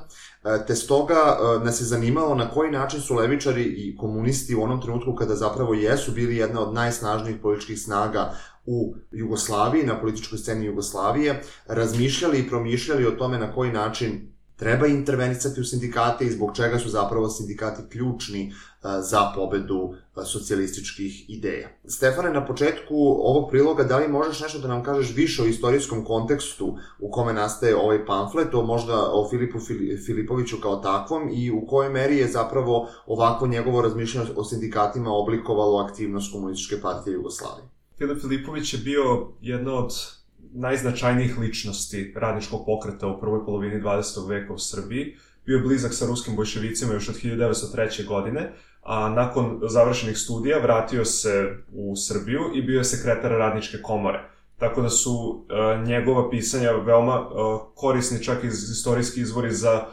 Te stoga nas je zanimalo na koji način su levičari i komunisti u onom trenutku kada zapravo jesu bili jedna od najsnažnijih političkih snaga u Jugoslaviji, na političkoj sceni Jugoslavije, razmišljali i promišljali o tome na koji način treba intervenisati u sindikate i zbog čega su zapravo sindikati ključni za pobedu socijalističkih ideja. Stefane, na početku ovog priloga, da li možeš nešto da nam kažeš više o istorijskom kontekstu u kome nastaje ovaj pamflet, možda o Filipu Filipoviću kao takvom i u kojoj meri je zapravo ovakvo njegovo razmišljanje o sindikatima oblikovalo aktivnost Komunističke partije Jugoslavije? Filip Filipović je bio jedna od najznačajnijih ličnosti radničkog pokreta u prvoj polovini 20. veka u Srbiji. Bio je blizak sa ruskim bolševicima još od 1903. godine, a nakon završenih studija vratio se u Srbiju i bio je sekretar radničke komore. Tako da su njegova pisanja veoma korisni čak iz istorijski izvori za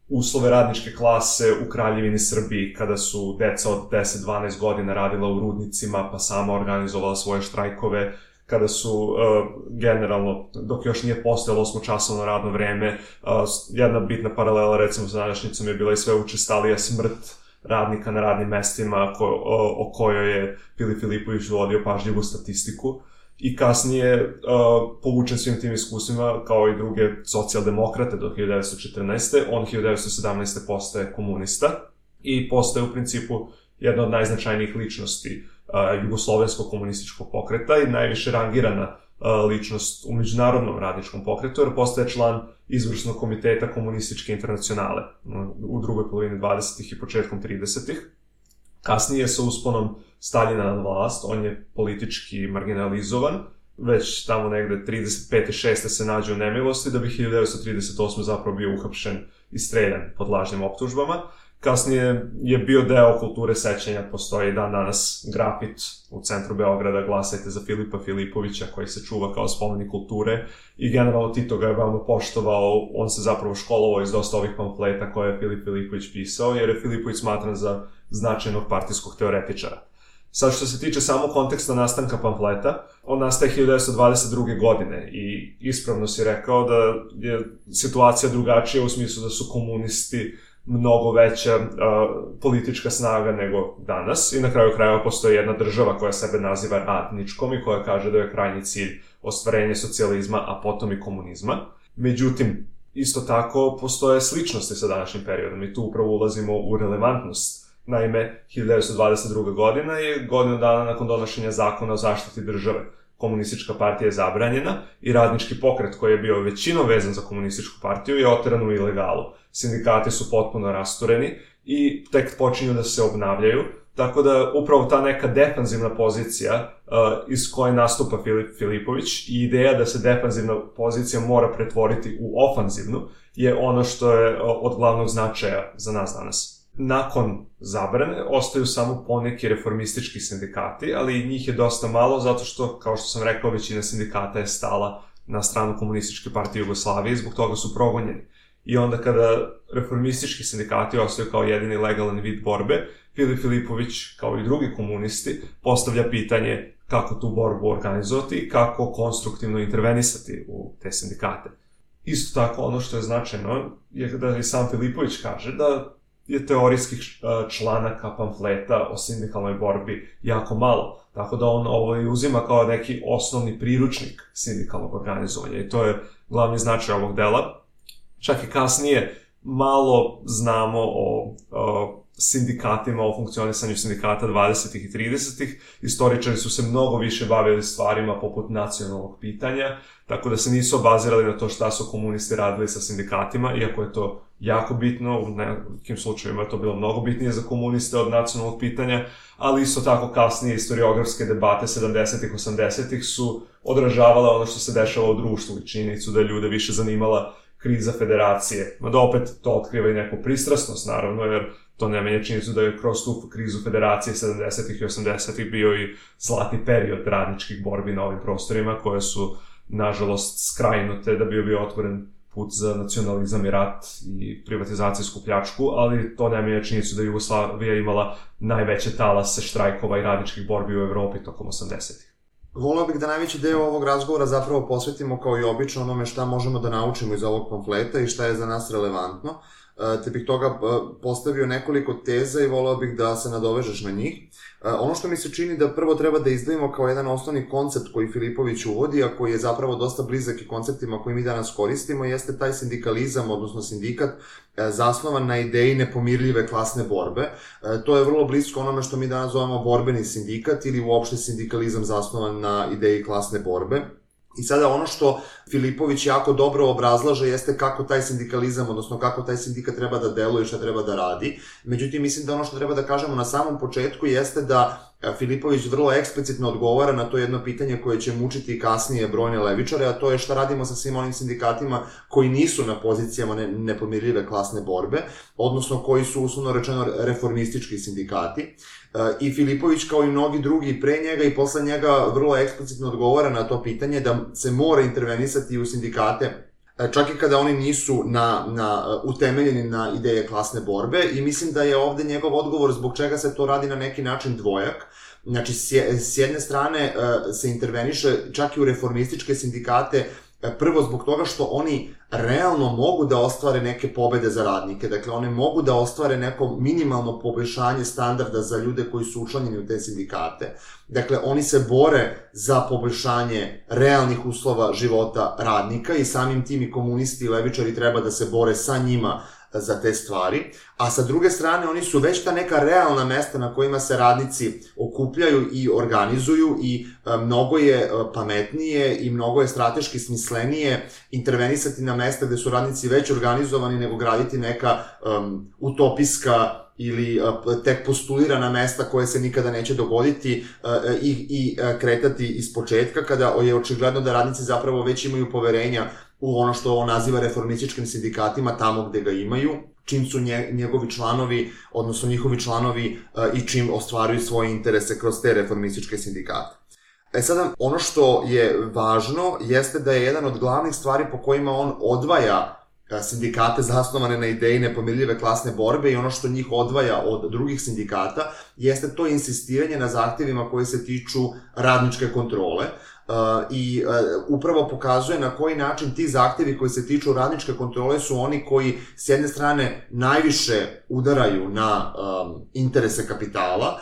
uslove radničke klase u Kraljevini Srbiji, kada su deca od 10-12 godina radila u rudnicima, pa sama organizovala svoje štrajkove, kada su generalno, dok još nije postojalo 8-časovno radno vreme, jedna bitna paralela recimo sa današnjicom je bila i sve učestalija smrt radnika na radnim mestima o kojoj je Filip Filipović vodio pažljivu statistiku i kasnije povučen svim tim iskustvima kao i druge socijaldemokrate do 1914. On 1917. postaje komunista i postaje u principu jedna od najznačajnijih ličnosti jugoslovenskog komunističkog pokreta i najviše rangirana ličnost u međunarodnom radničkom pokretu, jer postaje član izvršnog komiteta komunističke internacionale u drugoj polovini 20. i početkom 30. Kasnije sa usponom Staljina na vlast, on je politički marginalizovan, već tamo negde 35. 6. se nađe u nemilosti, da bi 1938. zapravo bio uhapšen i streljan pod lažnim optužbama. Kasnije je bio deo kulture sećanja, postoji dan danas grafit u centru Beograda, glasajte za Filipa Filipovića, koji se čuva kao spomenik kulture i generalno Tito ga je veoma poštovao, on se zapravo školovao iz dosta ovih pamfleta koje je Filip Filipović pisao, jer je Filipović smatran za značajnog partijskog teoretičara. Sad što se tiče samo konteksta nastanka pamfleta, on nastaje 1922. godine i ispravno si rekao da je situacija drugačija u smislu da su komunisti mnogo veća politička snaga nego danas i na kraju krajeva postoji jedna država koja sebe naziva radničkom i koja kaže da je krajnji cilj ostvarenje socijalizma, a potom i komunizma. Međutim, isto tako postoje sličnosti sa današnjim periodom i tu upravo ulazimo u relevantnost. Naime, 1922. godina je godinu dana nakon donošenja zakona o zaštiti države. Komunistička partija je zabranjena i radnički pokret koji je bio većinom vezan za komunističku partiju je oteran u ilegalu. Sindikati su potpuno rastureni i tek počinju da se obnavljaju, tako da upravo ta neka defanzivna pozicija iz koje nastupa Filip Filipović i ideja da se defanzivna pozicija mora pretvoriti u ofanzivnu je ono što je od glavnog značaja za nas danas. Nakon zabrane ostaju samo poneki reformistički sindikati, ali njih je dosta malo zato što, kao što sam rekao, većina sindikata je stala na stranu Komunističke partije Jugoslavije i zbog toga su progonjeni. I onda kada reformistički sindikati ostaju kao jedini legalan vid borbe, Filip Filipović, kao i drugi komunisti, postavlja pitanje kako tu borbu organizovati i kako konstruktivno intervenisati u te sindikate. Isto tako, ono što je značajno je da i sam Filipović kaže da je teorijskih članaka pamfleta o sindikalnoj borbi jako malo. Tako da on ovo i uzima kao neki osnovni priručnik sindikalnog organizovanja i to je glavni značaj ovog dela. Čak i kasnije malo znamo o sindikatima, o funkcionisanju sindikata 20. i 30. Istoričari su se mnogo više bavili stvarima poput nacionalnog pitanja, tako da se nisu obazirali na to šta su komunisti radili sa sindikatima, iako je to jako bitno, u nekim slučajima je to bilo mnogo bitnije za komuniste od nacionalnog pitanja, ali isto tako kasnije historiografske debate 70-ih, 80-ih su odražavale ono što se dešava u društvu i činjenicu da je ljude više zanimala kriza federacije. Mada opet to otkriva i neku pristrasnost, naravno, jer to ne menja činjenicu da je kroz tu krizu federacije 70-ih i 80-ih bio i zlatni period radničkih borbi na ovim prostorima, koje su, nažalost, skrajnute da bi bio otvoren put za nacionalizam i rat i privatizacijsku pljačku, ali to ne menja činjenicu da je Jugoslavija imala najveće talase štrajkova i radničkih borbi u Evropi tokom 80-ih. Voleo bih da najveći deo ovog razgovora zapravo posvetimo kao i obično onome šta možemo da naučimo iz ovog pamfleta i šta je za nas relevantno, te bih toga postavio nekoliko teza i voleo bih da se nadovežeš na njih. Ono što mi se čini da prvo treba da izdvojimo kao jedan osnovni koncept koji Filipović uvodi, a koji je zapravo dosta blizak i konceptima koji mi danas koristimo, jeste taj sindikalizam, odnosno sindikat, zasnovan na ideji nepomirljive klasne borbe. To je vrlo blisko onome što mi danas zovemo borbeni sindikat ili uopšte sindikalizam zasnovan na ideji klasne borbe. I sada ono što Filipović jako dobro obrazlaže jeste kako taj sindikalizam, odnosno kako taj sindikat treba da deluje i šta treba da radi. Međutim, mislim da ono što treba da kažemo na samom početku jeste da Filipović vrlo eksplicitno odgovara na to jedno pitanje koje će mučiti kasnije brojne levičare, a to je šta radimo sa svim onim sindikatima koji nisu na pozicijama nepomirljive klasne borbe, odnosno koji su, uslovno rečeno, reformistički sindikati. I Filipović, kao i mnogi drugi pre njega i posle njega, vrlo eksplicitno odgovara na to pitanje da se mora intervenisati u sindikate, čak i kada oni nisu utemeljeni na ideje klasne borbe, i mislim da je ovde njegov odgovor zbog čega se to radi na neki način dvojak. Znači, s jedne strane se interveniše čak i u reformističke sindikate, prvo zbog toga što oni realno mogu da ostvare neke pobede za radnike, dakle one mogu da ostvare neko minimalno poboljšanje standarda za ljude koji su učlanjeni u te sindikate. Dakle, oni se bore za poboljšanje realnih uslova života radnika i samim tim i komunisti i levičari treba da se bore sa njima za te stvari, a sa druge strane oni su već ta neka realna mesta na kojima se radnici okupljaju i organizuju i mnogo je pametnije i mnogo je strateški smislenije intervenisati na mesta gde su radnici već organizovani nego graditi neka utopijska ili tek postulirana mesta koje se nikada neće dogoditi i kretati iz početka kada je očigledno da radnici zapravo već imaju poverenja u ono što on naziva reformističkim sindikatima tamo gde ga imaju, čim su njegovi članovi, odnosno njihovi članovi i čim ostvaruju svoje interese kroz te reformističke sindikate. Sada, ono što je važno jeste da je jedan od glavnih stvari po kojima on odvaja sindikate zasnovane na ideji nepomirljive klasne borbe i ono što njih odvaja od drugih sindikata jeste to insistiranje na zahtevima koji se tiču radničke kontrole i upravo pokazuje na koji način ti zahtevi koji se tiču radničke kontrole su oni koji s jedne strane najviše udaraju na interese kapitala,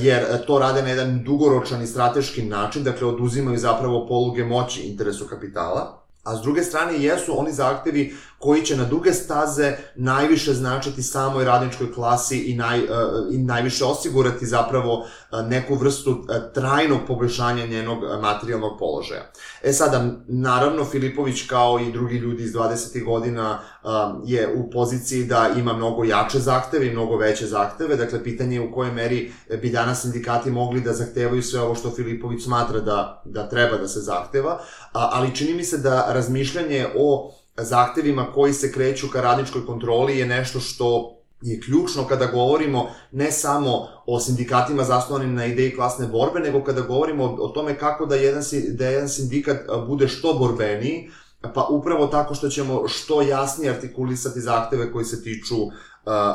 jer to rade na jedan dugoročan i strateški način, dakle oduzimaju zapravo poluge moći interesu kapitala, a s druge strane jesu oni zahtevi koji će na duge staze najviše značiti samoj radničkoj klasi i najviše osigurati zapravo neku vrstu trajnog poboljšanja njenog materijalnog položaja. Sada, naravno, Filipović kao i drugi ljudi iz 20. godina je u poziciji da ima mnogo jače zahteve i mnogo veće zahteve, dakle pitanje je u kojoj meri bi danas sindikati mogli da zahtevaju sve ovo što Filipović smatra da treba da se zahteva, ali čini mi se da razmišljanje o zahtevima koji se kreću ka radničkoj kontroli je nešto što je ključno kada govorimo ne samo o sindikatima zasnovanim na ideji klasne borbe, nego kada govorimo o tome kako da jedan sindikat bude što borbeniji, pa upravo tako što ćemo što jasnije artikulisati zahteve koji se tiču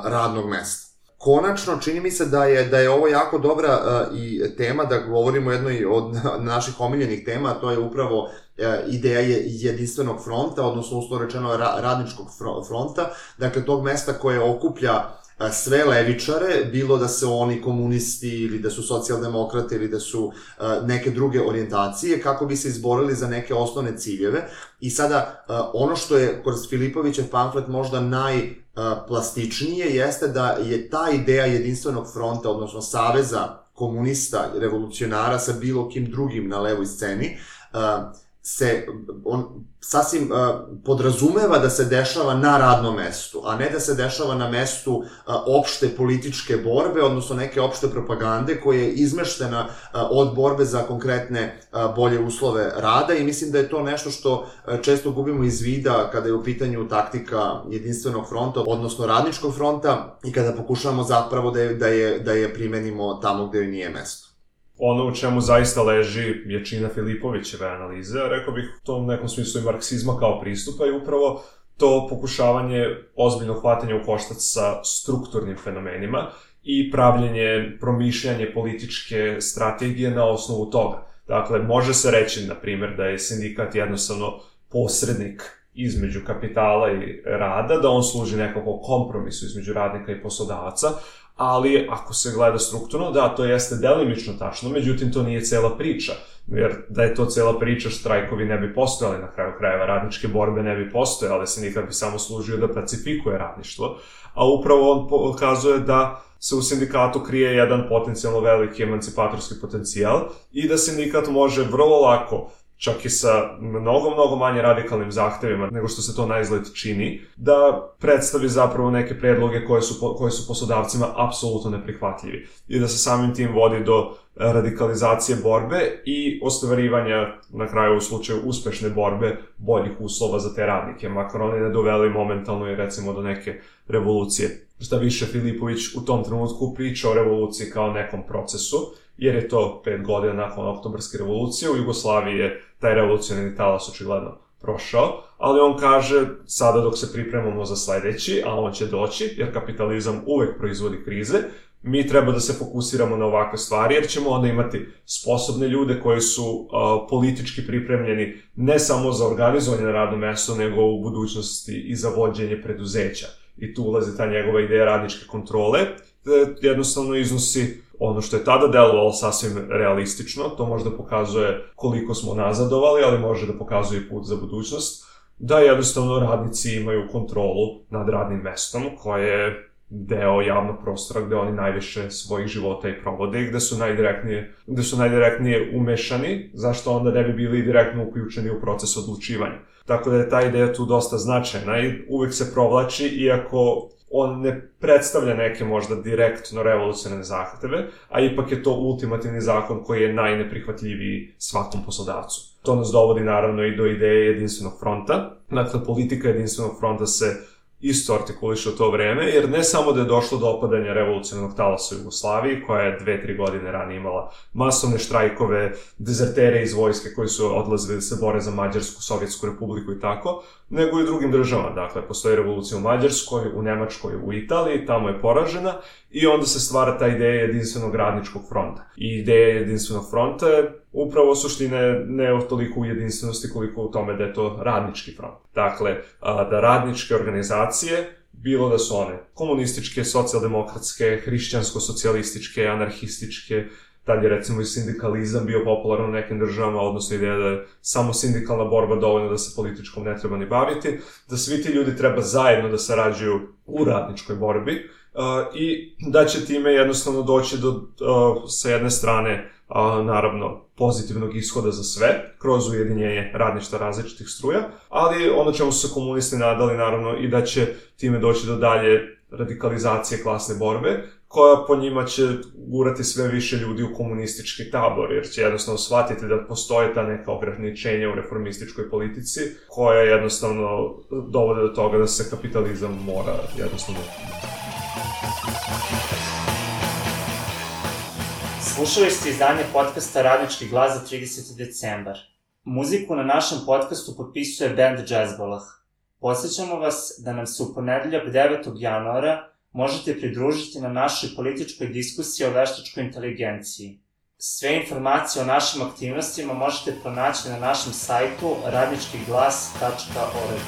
radnog mesta. Konačno, čini mi se da je ovo jako dobra i tema da govorimo o jednoj od naših omiljenih tema, a to je upravo ideja jedinstvenog fronta, odnosno uslovno rečeno radničkog fronta, dakle tog mesta koje okuplja sve levičare, bilo da se oni komunisti ili da su socijaldemokrate ili da su neke druge orijentacije, kako bi se izborili za neke osnovne ciljeve. I sada, ono što je kroz Filipovićev pamflet možda najplastičnije jeste da je ta ideja jedinstvenog fronta, odnosno saveza komunista, revolucionara sa bilo kim drugim na levoj sceni, on sasvim podrazumeva da se dešava na radnom mestu, a ne da se dešava na mestu opšte političke borbe, odnosno neke opšte propagande koja je izmeštena od borbe za konkretne bolje uslove rada, i mislim da je to nešto što često gubimo iz vida kada je u pitanju taktika jedinstvenog fronta, odnosno radničkog fronta, i kada pokušavamo zapravo da je primenimo tamo gde joj nije mesto. Ono u čemu zaista leži jačina Filipovićeve analize, rekao bih to u nekom smislu i marksizma kao pristupa, i upravo to pokušavanje ozbiljnog hvatanja u koštac sa strukturnim fenomenima i pravljenje, promišljanje političke strategije na osnovu toga. Dakle, može se reći, na primjer, da je sindikat jednostavno posrednik između kapitala i rada, da on služi nekako kompromisu između radnika i poslodavaca, ali ako se gleda strukturno, da, to jeste delimično tačno, međutim to nije cela priča, jer da je to cela priča, štrajkovi ne bi postojali, na kraju krajeva radničke borbe ne bi postojale, sindikat bi samo služio da pacifikuje radništvo, a upravo on pokazuje da se u sindikatu krije jedan potencijalno veliki emancipatorski potencijal i da sindikat može vrlo lako, čak i sa mnogo manje radikalnim zahtevima nego što se to naizgled čini, da predstavi zapravo neke predloge koje su poslodavcima apsolutno neprihvatljivi i da se samim tim vodi do radikalizacije borbe i ostvarivanja, na kraju u slučaju uspešne borbe, boljih uslova za te radnike, makar oni ne doveli momentalno i recimo do neke revolucije. Šta više, Filipović u tom trenutku priča o revoluciji kao nekom procesu, jer je to 5 godina nakon Oktobarske revolucije, u Jugoslaviji je taj revolucionarni talas očigledno prošao, ali on kaže, sada dok se pripremamo za sledeći, a on će doći, jer kapitalizam uvek proizvodi krize, mi treba da se fokusiramo na ovakve stvari, jer ćemo onda imati sposobne ljude koji su politički pripremljeni ne samo za organizovanje na radnom mestu, nego u budućnosti i za vođenje preduzeća. I tu ulazi ta njegova ideja radničke kontrole, jednostavno iznosi ono što je tada delovalo sasvim realistično, to možda pokazuje koliko smo nazadovali, ali može da pokazuje i put za budućnost, da jednostavno radnici imaju kontrolu nad radnim mestom, koje je deo javnog prostora gde oni najviše svojih života i provode i gde su najdirektnije umešani, zašto onda ne bi bili direktno uključeni u proces odlučivanja. Tako da je ta ideja tu dosta značajna i uvek se provlači, iako on ne predstavlja neke možda direktno revolucionarne zahteve, a ipak je to ultimativni zakon koji je najneprihvatljiviji svakom poslodavcu. To nas dovodi naravno i do ideje jedinstvenog fronta. Dakle, politika jedinstvenog fronta se isto artikuliše u to vreme, jer ne samo da je došlo do opadanja revolucionarnog talasa u Jugoslaviji, koja je 2-3 godine ranije imala masovne štrajkove, dezertere iz vojske koji su odlazili da se bore za Mađarsku, Sovjetsku republiku i tako, nego i u drugim državama. Dakle, postoji revolucija u Mađarskoj, u Nemačkoj, u Italiji, tamo je poražena i onda se stvara ta ideja jedinstvenog radničkog fronta. I ideja jedinstvenog fronta je upravo suštine ne toliko u jedinstvenosti koliko u tome da je to radnički front. Dakle, da radničke organizacije, bilo da su one komunističke, socijaldemokratske, hrišćansko-socijalističke, anarhističke, tad je recimo i sindikalizam bio popularan u nekim državama, odnosno ideja da je samo sindikalna borba dovoljna da se političkom ne treba ni baviti, da svi ti ljudi treba zajedno da sarađuju u radničkoj borbi i da će time jednostavno doći do, sa jedne strane, naravno, pozitivnog ishoda za sve, kroz ujedinjenje radništva različitih struja, ali ono čemu su se komunisti nadali, naravno, i da će time doći do dalje radikalizacije klasne borbe, koja po njima će gurati sve više ljudi u komunistički tabor, jer će jednostavno shvatiti da postoje ta neka ograničenja u reformističkoj politici, koja jednostavno dovode do toga da se kapitalizam mora jednostavno... Slušali ste izdanje podcasta Radnički glas za 30. decembar. Muziku na našem podcastu potpisuje band Džezbolah. Podsjećamo vas da nam se u ponedeljak 9. januara možete pridružiti na našoj političkoj diskusiji o veštačkoj inteligenciji. Sve informacije o našim aktivnostima možete pronaći na našem sajtu radničkiglas.org.